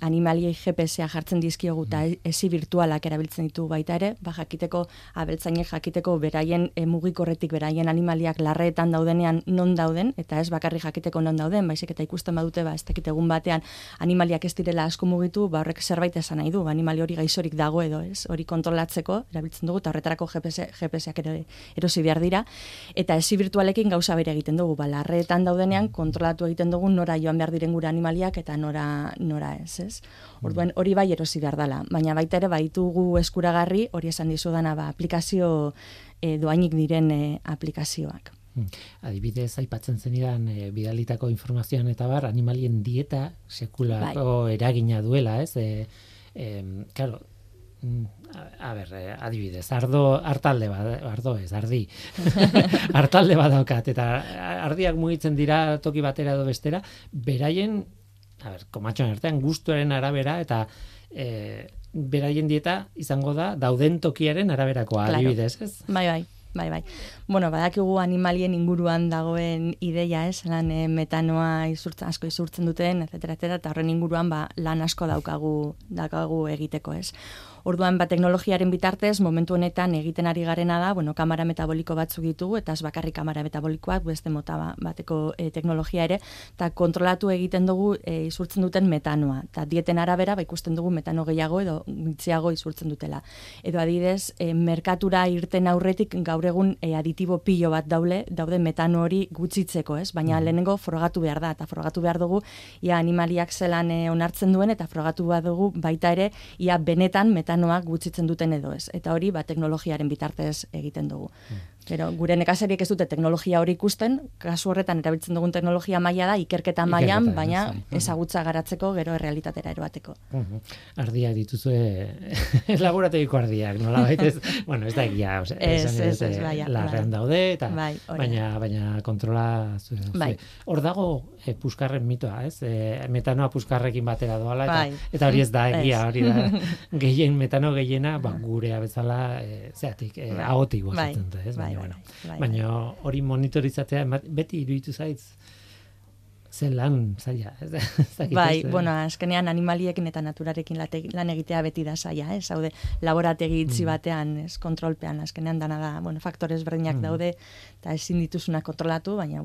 animaliei GPS-a jartzen dizkiogu eta ezi virtualak erabiltzen ditugu baita ere, jakiteko, abeltzainek jakiteko beraien mugikorretik, beraien animaliak larreetan daudenean non dauden, eta ez bakarrik jakiteko non dauden, baizik eta ikusten badute, ez dakit egun batean animaliak ez direla asko mugitu, horrek zerbait esan nahi du, animali hori gaixorik dago edo, ez? Hori kontrolatzeko erabiltzen dugu, eta horretarako GPS-ak erosi behar dira, eta ezi virtualekin gauza bere egiten dugu, larreetan daudenean kontrolatu egiten dugu nora joan behar diren gure animaliak eta nora ez? Orduan hori bai erosi behar dela, baina baita ere baitugu eskuragarri, hori esan dizudana aplikazio doainik diren aplikazioak. Adibidez, aipatzen zenidan bidalitako informazioan eta animalien dieta sekulako eragina duela, ez? Claro, adibidez, artalde ardi. Artalde bat daukat, eta ardiak mugitzen dira toki batera edo bestera, beraien, komatxoan artean, gustuaren arabera, eta beraien dieta izango da dauden tokiaren araberakoa, adibidez, ez? Bai. Badakigu animalien inguruan dagoen ideia, lan metanoa asko izurtzen duten, etc. Eta horren inguruan lan asko daukagu egiteko, ez? Orduan, teknologiaren bitartez, momentu honetan egiten ari garena da, kamara metaboliko batzuk ditugu, eta ez bakarrik kamara metabolikoak, beste mota bateko teknologia ere, eta kontrolatu egiten dugu izurtzen duten metanoa. Eta dieten arabera, ikusten dugu metano gehiago edo gutxiago izurtzen dutela. Edo adibidez, merkatura irten aurretik gaur egun aditibo pilo bat daude metano hori gutxitzeko, ez? Baina lehenengo frogatu behar da, eta frogatu behar dugu, ia animaliak zelan onartzen duen, eta frogatu behar dugu baita ere, ia benetan metanoak gutxitzen duten edo ez. Eta hori, teknologiaren bitartez egiten dugu. Pero gure nekazariek ez dute teknologia hori ikusten, kasu horretan erabiltzen dugun teknologia maila da, ikerketa mailan, baina ezagutza garatzeko gero errealitatera eroateko. Ardiak dituzue, laborategiko ardiak, nola baitez, ez da egia, larrean daude, baina kontrola zuen. Hor dago puskarren mitoa, ez? Metanoa puskarrekin batera doala, eta hori ez da egia, hori da, metano gehiena, gurea bezala, zeatik, ahotik gozatzen da, ez? Baina hori monitorizatzea beti iruditu zaitz zen lan zaila. Azkenean animaliekin eta naturarekin lan egitea beti da zaila, haude laborategi itxi batean, kontrolpean, azkenean dana da, faktores berdinak daude, eta ezin dituzuna kontrolatu, baina,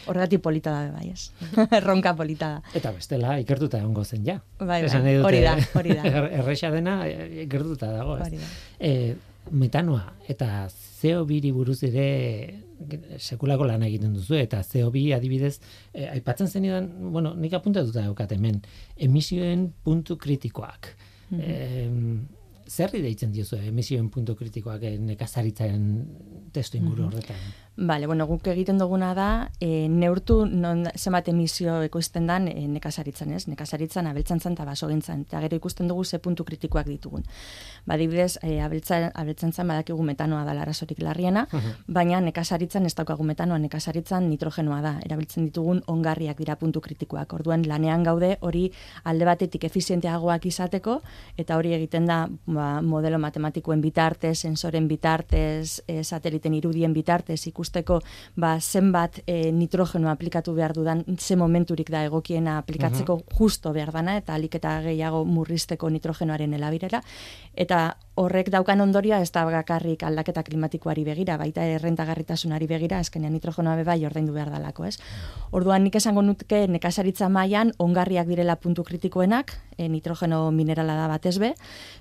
horregatik polita da, bai, ez? Erronka polita da. Eta bestela, ikertuta egongo zen, ja. Hori da. Erresa dena, ikertuta dago, ez? Metanoa eta CO2 buruz ere sekulako lan egiten duzu, eta CO2 adibidez, aipatzen zenidan, nik apuntatuta daukat hemen, emisioen puntu kritikoak. Zerri deitzen diozu emisioen puntu kritikoak nekazaritzaren testu inguru horretan? Bale, bueno, guk egiten duguna da, neurtu zenbat emisio ekoizten dan nekazaritzan, ez? Nekazaritzan, abeltzantzan eta basogintzan. Eta gero ikusten dugu ze puntu kritikoak ditugun. Adibidez, abeltzantzan badakigu metanoa da arazorik larriena, baina nekazaritzan ez daukagu metanoa, nekazaritzan nitrogenoa da. Erabiltzen ditugun ongarriak dira puntu kritikoak. Orduan, lanean gaude hori alde batetik efizienteagoak izateko, eta hori egiten da modelo matematikoen bitartez, sensoren bitartez, sateliten irudien bitartez ikusteko zenbat nitrogeno aplikatu behar dudan, ze momenturik da egokiena aplikatzeko justo behar dana, eta alik eta gehiago murrizteko nitrogenoaren elabirera, eta horrek daukan ondorioa ez da bakarrik aldaketa klimatikoari begira, baita errentagarritasunari begira, azkenean nitrogenoa bebai ordaindu behar dalako, ez? Orduan nik esango nuke nekazaritza mailan ongarriak direla puntu kritikoenak, nitrogeno minerala da batez be,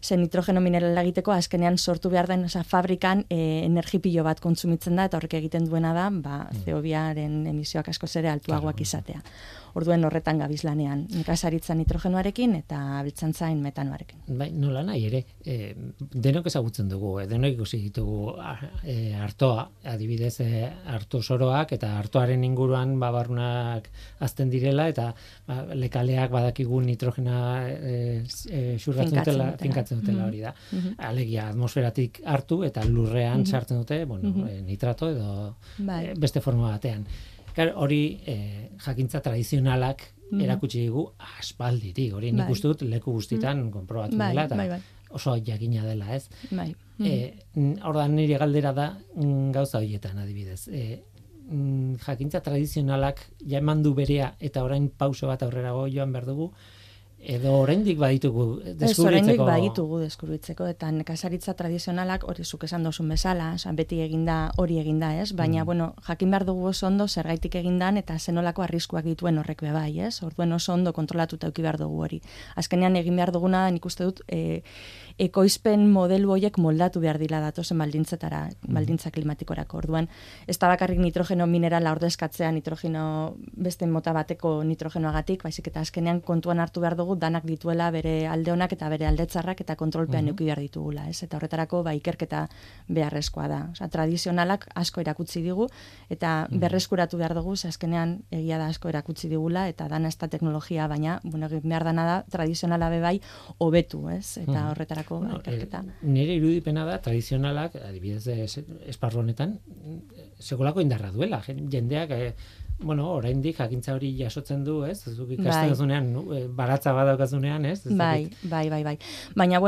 ze nitrogeno minerala egiteko azkenean sortu behar den, fabrikan energipilo bat kontsumitzen da, eta horrek egiten duena da, CO2-aren emisioak askoz ere altuagoak izatea. Orduen horretan gabiz lanean, nekazaritza nitrogenoarekin eta abeltzantzain metanoarekin. Bai, nola nahi ere, denok ezagutzen dugu, denok ikusi ditugu artoa, adibidez arto soroak eta artoaren inguruan babarrunak azten direla eta lekaleak badakigu nitrogena finkatzen dutela hori da. Alegia atmosferatik hartu eta lurrean sartzen dute, nitrato edo beste forma batean. Hori jakintza tradizionalak erakutsi digu aspalditik, hori nik uste dut leku guztitan konprobatu dela eta oso jakina dela, ez? Ordan nire galdera da gauza horietan adibidez. Jakintza tradizionalak ja eman du berea eta orain pauso bat aurrerago joan behar dugu, edo oraindik baditugu deskubritzeko. Oraindik baditugu deskubritzeko, eta nekazaritza tradizionalak hori zuk esan dozun bezala, beti hori eginda, ez? Baina, jakin behar dugu oso ondo zergaitik egindan eta zenolako arriskuak dituen horrek bebai, ez? Orduen oso ondo kontrolatuta eduki behar dugu hori. Azkenean egin behar duguna, nik uste dut, ekoizpen modelu horiek moldatu behar dila datozen baldintza klimatikorako. Orduan, ez da bakarrik nitrogeno minerala ordezkatzea nitrogeno beste mota bateko nitrogenoagatik, baizik eta azkenean kontuan hartu behar dugu danak dituela bere alde onak eta bere alde txarrak eta kontrolpean eduki behar ditugula, ez? Eta horretarako ikerketa beharrezkoa da. Osea, tradizionalak asko erakutsi digu eta berreskuratu behar dugu, azkenean egia da asko erakutsi digula eta dana ez da teknologia, baina behar dana da tradizionala bebai hobetu, ez? Eta horretarako ikerketa. Nire irudipena da tradizionalak, adibidez esparru honetan, sekolako indarra duela. Jendeak oraindik jakintza hori jasotzen du, ez? Zuk ikasten duzunean, baratza badaukazunean, ez? Bai. Baina,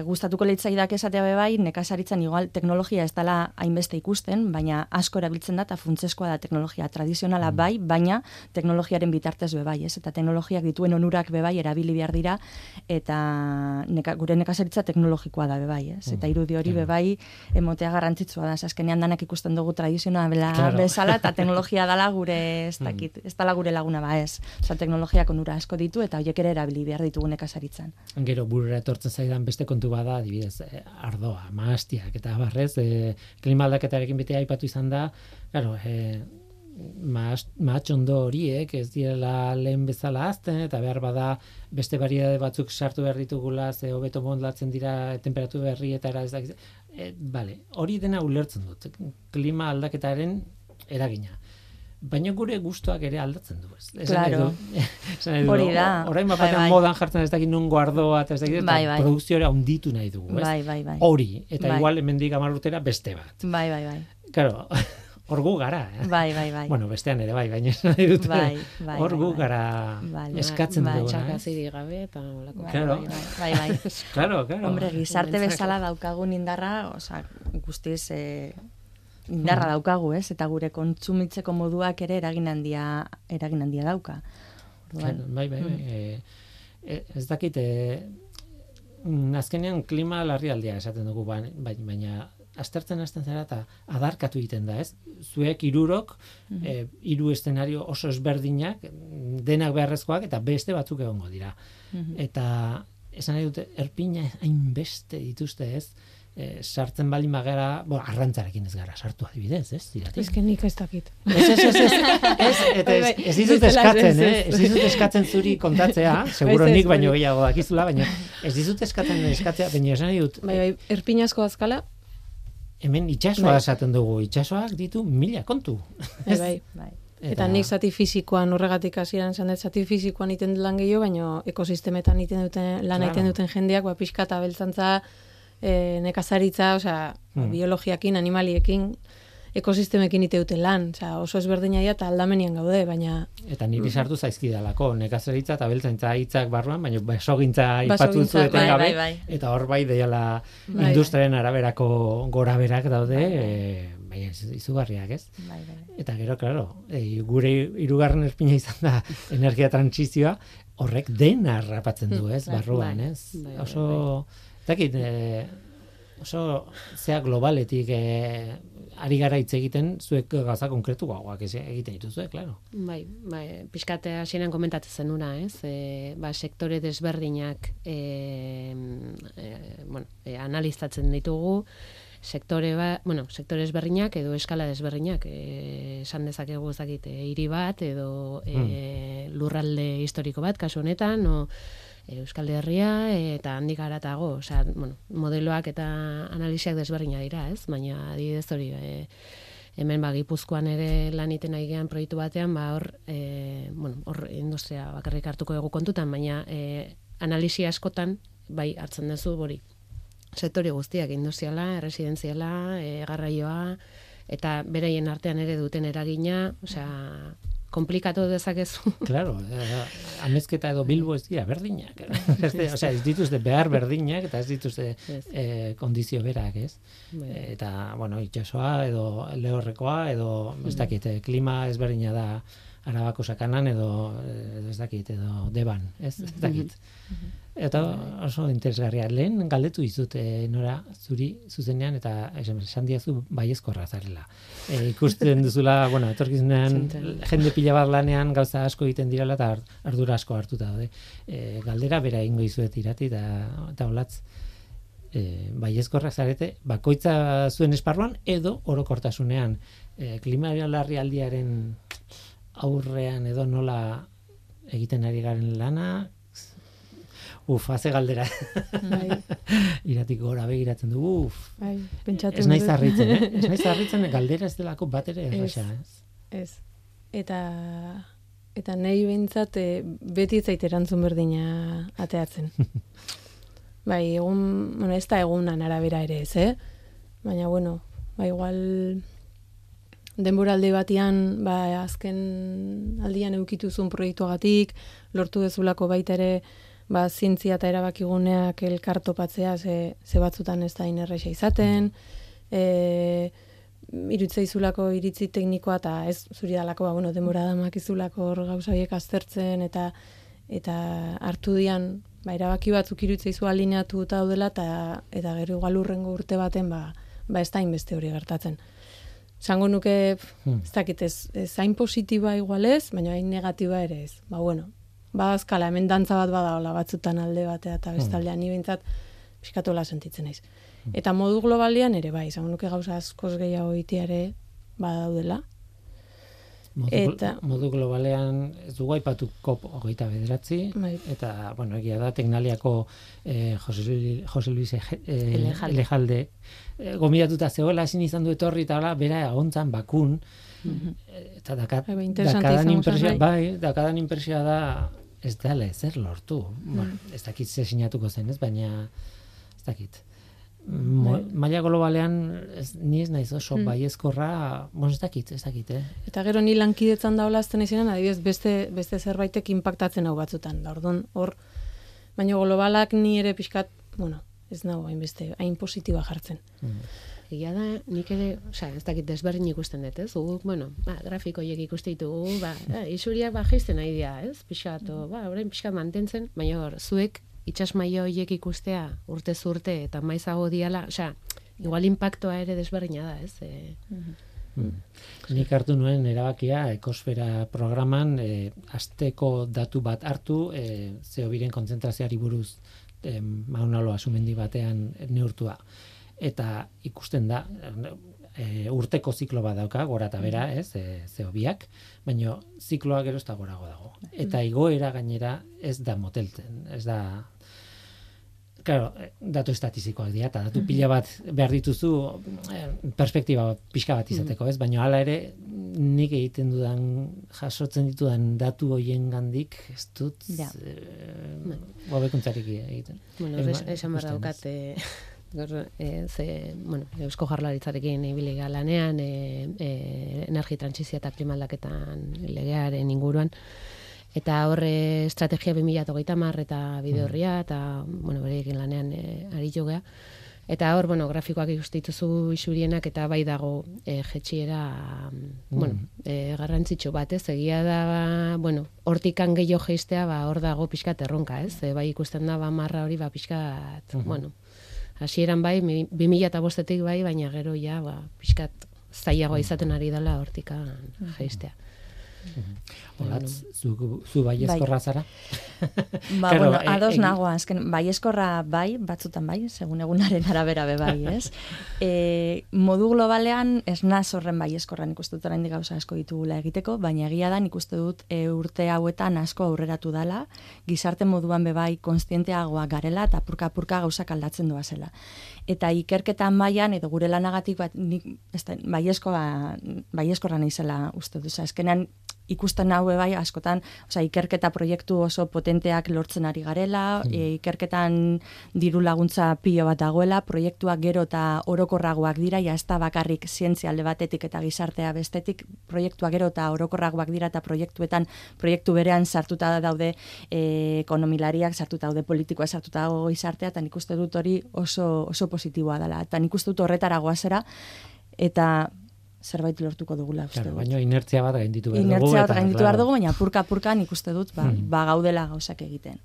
gustatuko leitzaidak esatea bebai, nekazaritzan igual teknologia ez dela hainbeste ikusten, baina asko erabiltzen da eta funtsezkoa da teknologia tradizionala bai, baina teknologiaren bitartez bebai, ez? Eta teknologiak dituen onurak bebai erabili behar dira, eta gure nekazaritza teknologikoa da bebai, ez? Eta irudi hori bebai emotea garrantzitsua da, azkenean danak ikusten dugu tradizionala bezala eta teknologia dala gure, ez dala gure laguna ez. Osa, teknologiak onura asko ditu eta horiek ere erabili behar ditugu nekazaritzan. Gero burura etortzen zaidan beste kontu bada, adibidez, ardoa, mahastiak eta barrez, klima aldaketarekin bete aipatu izan da, claro, mahatxondo horiek ez direla lehen bezala azten, eta behar bada beste variedade batzuk sartu behar ditugula, ze hobeto modlatzen dira temperatura berrietara, ez da, hori dena ulertzen dut, klima aldaketaren eragina. Baina gure gustoak ere aldatzen du, ez? Claro. Hori da. Orain batean modan jartzen ez dakit nongo ardoa, eta ez dakit, eta produkzioa handitu nahi dugu, ez? Bai. Hori, eta igual hemendik 10 urtera beste bat. Bai. Claro, hor gu gara, eh? Bai. Bueno, bestean ere baina nahi dut. Hor gu gara eskatzen dugu. Txakazirik gabe eta olako. Claro. Bai. Claro. Hombre, gizarte bezala daukagun indarra, osea, guztiz indarra daukagu, ez? Eta gure kontsumitzeko moduak ere eragin handia dauka. Bai. Ez dakit, azkenean klima larrialdia esaten dugu, baina aztertzen hasten zara eta adarkatu egiten da, ez? Zuek 3 hiru eszenario oso ezberdinak, denak beharrezkoak eta beste batzuk egongo dira. Eta esan nahi dute, erpina hainbeste dituzte, ez? Sartzen bali magara, arrantzarekin ez gara sartu adibidez, ez? Ez que nik ez dakit. Ez dizut eskatzen zuri kontatzea, seguro nik baino gehiago dakizula, baina ez dizut eskatzea, baina esan nahi dut. Bai, erpinazko azkala, hemen itsasoa esaten dugu, itsasoak ditu 1000 kontu. Bai. Eta nik zati fisikoan horregatik hasieran esan dut zati fisikoan iten lan gehiago, baina ekosistemetan iten duten lan egiten duten jendeak, pixka eta beltzantza, nekazaritza, osea, biologiakin, animaliekin, ekosistemekin ite duten lan, osea, oso ezberdina dira eta aldamenian gaude, baina eta niri sartu zaizkidalako nekazaritza eta beltzaintza hitzak barruan, baina basogintza aipatu duzu etengabe, eta hor bai deiala industriaren araberako goraberak daude, bai, izugarriak, ez? Bai. Eta gero, claro, gure hirugarren erpina izan da energia trantsizioa, horrek dena harrapatzen du, ez? Barruan, ez? Oso, zakit, oso zea globaletik ari gara hitz egiten, zuek gauza konkretu gauak egiten dituzue, claro. Bai, pixkate hasieran komentatzen zenuna, ez? Sektore desberdinak analizatzen ditugu, sektore desberdinak edo eskala desberdinak, esan dezakegu ezakit hiri bat edo lurralde historiko bat, kasu honetan, Euskal Herria eta handik haratago, osea, modeloak eta analisiak desberdinak dira, ez? Baina adibidez hori, hemen Gipuzkoan ere lan egiten ari gean proiektu batean, hor industria bakarrik hartuko dugu kontutan, baina analisi askotan bai hartzen duzu hori. Sektore guztiak, industriala, erresidenziala, garraioa, eta beraien artean ere duten eragina, osea, komplikatu dezakezu. Claro, Amezketa edo Bilbo ez dira berdinak. Osea, ez dituzte behar berdinak eta ez dituzte kondizio berak, ez? Eta, itsasoa edo lehorrekoa edo ez dakit, klima ezberdina da Arabako sakanan edo ez dakit, edo Deban, ez dakit. Eta oso interesgarria. Lehen galdetu dizut Nora zuri zuzenean eta esan diazu baiezkorra zarela. Ikusten duzula, etorkizunean jende pila bat lanean gauza asko egiten direla eta ardura asko hartuta daude. Galdera bera egingo dizuet irati eta olatz baiezkorra zarete bakoitza zuen esparruan edo orokortasunean klima larrialdiaren aurrean edo nola egiten ari garen lana. Haze galdera. Iratik gora begiratzen dugu. Ez naiz harritzen, Ez naiz harritzen galdera ez delako bat ere erresa, ez? Eta nahi behintzat beti ez zait erantzun berdina ateatzen. Bai, ez da egunan arabera ere ez, Baina, igual denboralde batean, azken aldian eukituzun proiektuagatik, lortu dezulako baita ere, zientzia eta erabakiguneak elkartopatzea ze batzutan ez da inerresa izaten, irutzaizulako iritzi teknikoa eta ez zuri dalako, denbora damakizulako hor gauza horiek aztertzen eta hartu dian, erabaki batzuk irutzaizu alineatu eta daudela eta gero igual urrengo urte baten ez da inbeste hori gertatzen. Zango nuke, ez dakit, ez hain positiba igual ez, baina hain negatiba ere ez. Badazkala, hemen dantza bat badaola batzutan alde batea eta bestaldean ni behintzat pixkatola sentitzen naiz. Eta modu globalian ere bai, zango nuke gauza askoz gehiago itiare badaudela. Modu globalean ez dugu aipatu COP29, eta, egia da, Teknaliako Jose Luis Elejalde gomidatuta zegoela ezin izan du etorri eta bera agontzan bakun, eta dakadan impresioa da ez dela ezer lortu. Ez dakit ze sinatuko zen, ez, baina ez dakit. Maila globalean ni ez naiz oso baiezkorra, ez dakit. Eta gero ni lankidetzan daola azten izenan, adibidez beste zerbaitek impactatzen hau batzutan. Orduan, baina globalak ni ere pixkat, ez nago hain positiba jartzen. Egia da, nik ere, ez dakit desberdin ikusten dut, ez? Grafikoiek ikuste ditugu, isuriak jaisten nahi dira, ez? Pixkat, orain pixkat mantentzen, baina zuek itsas maila horiek ikustea urtez urte eta maizago diala, igual impactoa ere desberdina da, ez? Nik hartu nuen erabakia ekosfera programan asteko datu bat hartu CO2-ren kontzentrazioari buruz Maunaloa sumendi batean neurtua. Eta ikusten da urteko ziklo bat dauka, gora eta bera, CO2ak, baina zikloa gero ez da gorago dago. Eta igoera gainera ez da moteltzen, ez da claro, datu estatistikoak dira, eta datu pila bat behar dituzu perspektiba pixka bat izateko, ez? Baina hala ere, nik egiten jasotzen ditudan datu hoien gandik, ez dut hobekuntzarik egiten. Bueno, esan behar daukat, Eusko Jaurlaritzarekin ibili lanean, energi trantsizioa eta klima aldaketan legearen inguruan, eta horre estrategia 2030 eta bide horria, eta, berekin lanean aritu gea. Eta hor, grafikoak ikustituzu isurienak, eta bai dago jetxiera, garrantzitsu bat, ez? Egia da, hortikan gehiago jeistea, hor dago pixkat erronka, ez? Bai ikusten da, marra hori, pixkat, hasieran bai, 2005-etik bai, baina gero ja, pixkat zailagoa izaten ari dela hortikan jeistea. Olatz, zu baiezkorra zara? Ados nago, azken, baiezkorra bai, batzutan bai, segun egunaren arabera be bai, ez? Modu globalean, ez naz horren baiezkorran ikustu dut oraindik gauza asko ditugula egiteko, baina egia da nik uste dut urte hauetan asko aurreratu dala, gizarte moduan be bai konstienteagoa garela eta apurka gauzak aldatzen doa zela. Eta ikerketan mailan edo gure lanagatik bat nik baiezkorra naizela uste dut. Azkenean ikusten hau bai askotan, ikerketa proiektu oso potenteak lortzen ari garela, ikerketan diru laguntza pilo bat dagoela, proiektuak gero eta orokorragoak dira, ja ez da bakarrik zientzia alde batetik eta gizartea bestetik, proiektuak gero eta orokorragoak dira eta proiektu berean sartuta daude ekonomilariak, sartuta daude politikoa, sartuta dago gizartea, eta nik uste dut hori oso positiboa dela. Eta nik uste dut horretaragoa zera, eta zerbait lortuko dugula. Baina inertzia bat gainditu behar dugu. Inertzia bat gainditu behar dugu, baina apurka nik uste dut gaudela gauzak egiten.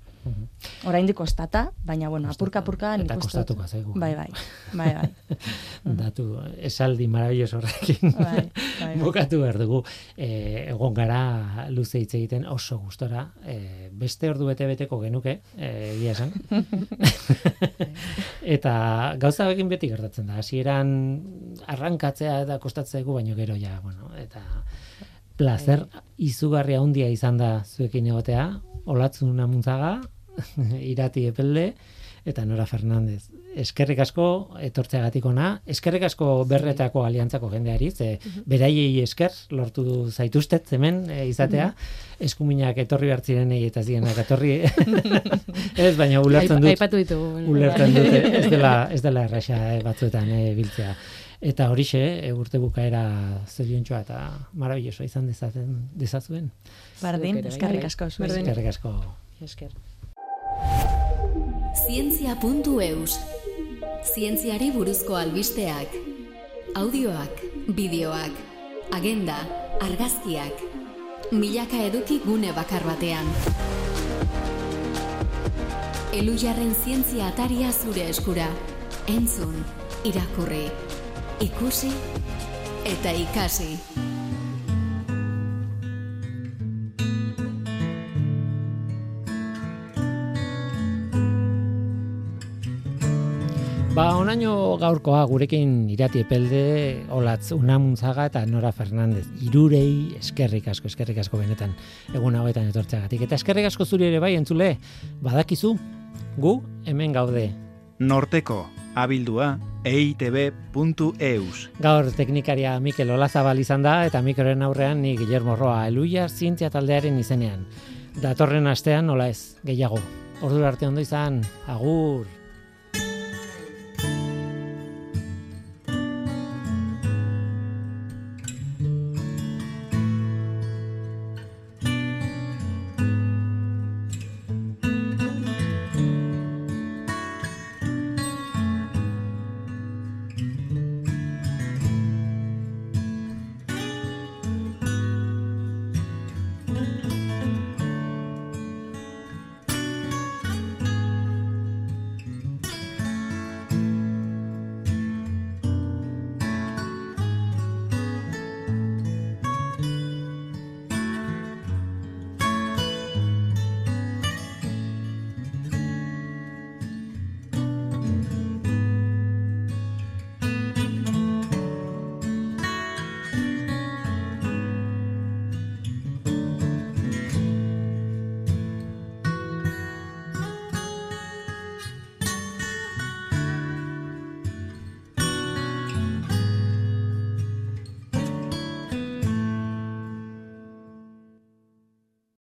Oraindik kostata, baina apurka nik uste dut. Eta kostatuko zaigu. Bai. Datu, esaldi marabilloso horrekin bukatu behar dugu. Egon gara luze hitz egiten oso gustora. Beste ordu bete-beteko genuke, egia esan. Eta gauza egin beti gertatzen da. Hasieran arrankatzea eta kostatzea baino gero ja, eta placer izugarria handia izan da zuekin egotea, Olatzun Amuntzaga, Irati Epelde eta Nora Fernandez. Eskerrik asko etortzeagatik ona, eskerrik asko Berretako Aliantzako jendeari, beraiei esker lortu zaituztet hemen izatea, eskuminak etorri behar zirenei eta zienak etorri. Ez, baina ulertzen dut. Aipatu ditugu. Ulertzen dut, ez dela erraxa batzuetan biltzea. Eta horixe, urte bukaera zoriontsua eta marabilloso izan dezazuen. Bardin, eskerrik asko. Eskerrik asko. Esker. Zientzia.eus. Zientziari buruzko albisteak. Audioak, bideoak, agenda, argazkiak. Milaka eduki gune bakar batean. Elujarren zientzia ataria zure eskura. Entzun, irakurri, ikusi eta ikasi. Onaino gaurkoa gurekin Irati Epelde, Olatzun Amuntzaga eta Nora Fernandez. Hirurei eskerrik asko benetan egun hauetan etortzeagatik. Eta eskerrik asko zuri ere bai entzule, badakizu, gu hemen gaude. Norteko, abildua, eitb.eus. Gaur teknikaria Mikel Olazabal izan da, eta mikroren aurrean ni Guillermo Roa, Eluiar zientzia taldearen izenean. Datorren astean, nola ez, gehiago. Ordura arte ondo izan, agur!